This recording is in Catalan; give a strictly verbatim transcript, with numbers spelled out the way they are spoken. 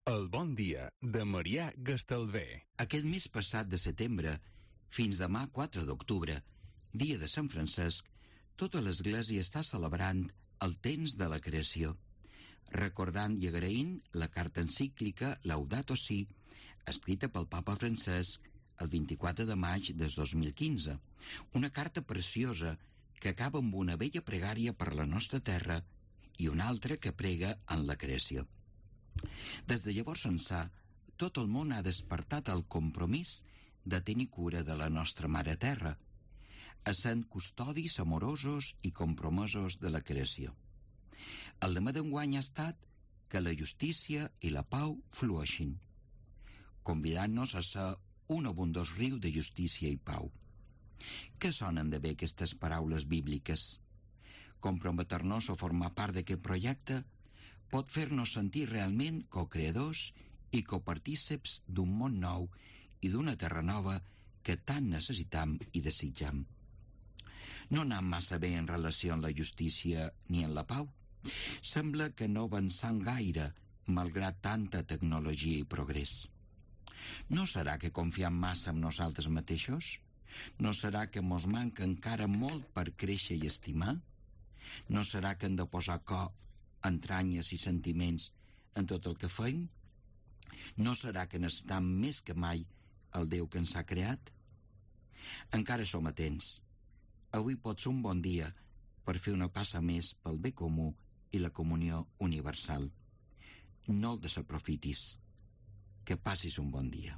El bon dia de Marià Gastalver. Aquest mes passat de setembre, fins demà quatre d'octubre, dia de Sant Francesc, tota l'Església està celebrant el temps de la creació, recordant i agraint la carta encíclica Laudato Si, escrita pel Papa Francesc el vint-i-quatre de maig del dos mil quinze, una carta preciosa que acaba amb una bella pregària per la nostra terra i una altra que prega en la creació. Des de llavors ençà, tot el món ha despertat el compromís de tenir cura de la nostra mare terra, essent custodis amorosos i compromesos de la creació. El lema d'enguany ha estat que la justícia i la pau flueixin, convidant-nos a ser un abundós riu de justícia i pau. Què sonen de bé aquestes paraules bíbliques? Comprometer-nos a formar part d'aquest projecte pot fer-nos sentir realment cocreadors i copartíceps d'un món nou i d'una terra nova que tant necessitam i desitjam. No anem massa bé en relació amb la justícia ni en la pau. Sembla que no avancem gaire, malgrat tanta tecnologia i progrés. No serà que confiem massa en nosaltres mateixos? No serà que mos manca encara molt per créixer i estimar? No serà que hem de posar cor, entranyes i sentiments en tot el que fem? No serà que necessitam més que mai el Déu que ens ha creat? Encara som a temps. Avui pot ser un bon dia per fer una passa més pel bé comú i la comunió universal. No el desaprofitis. Que passis un bon dia.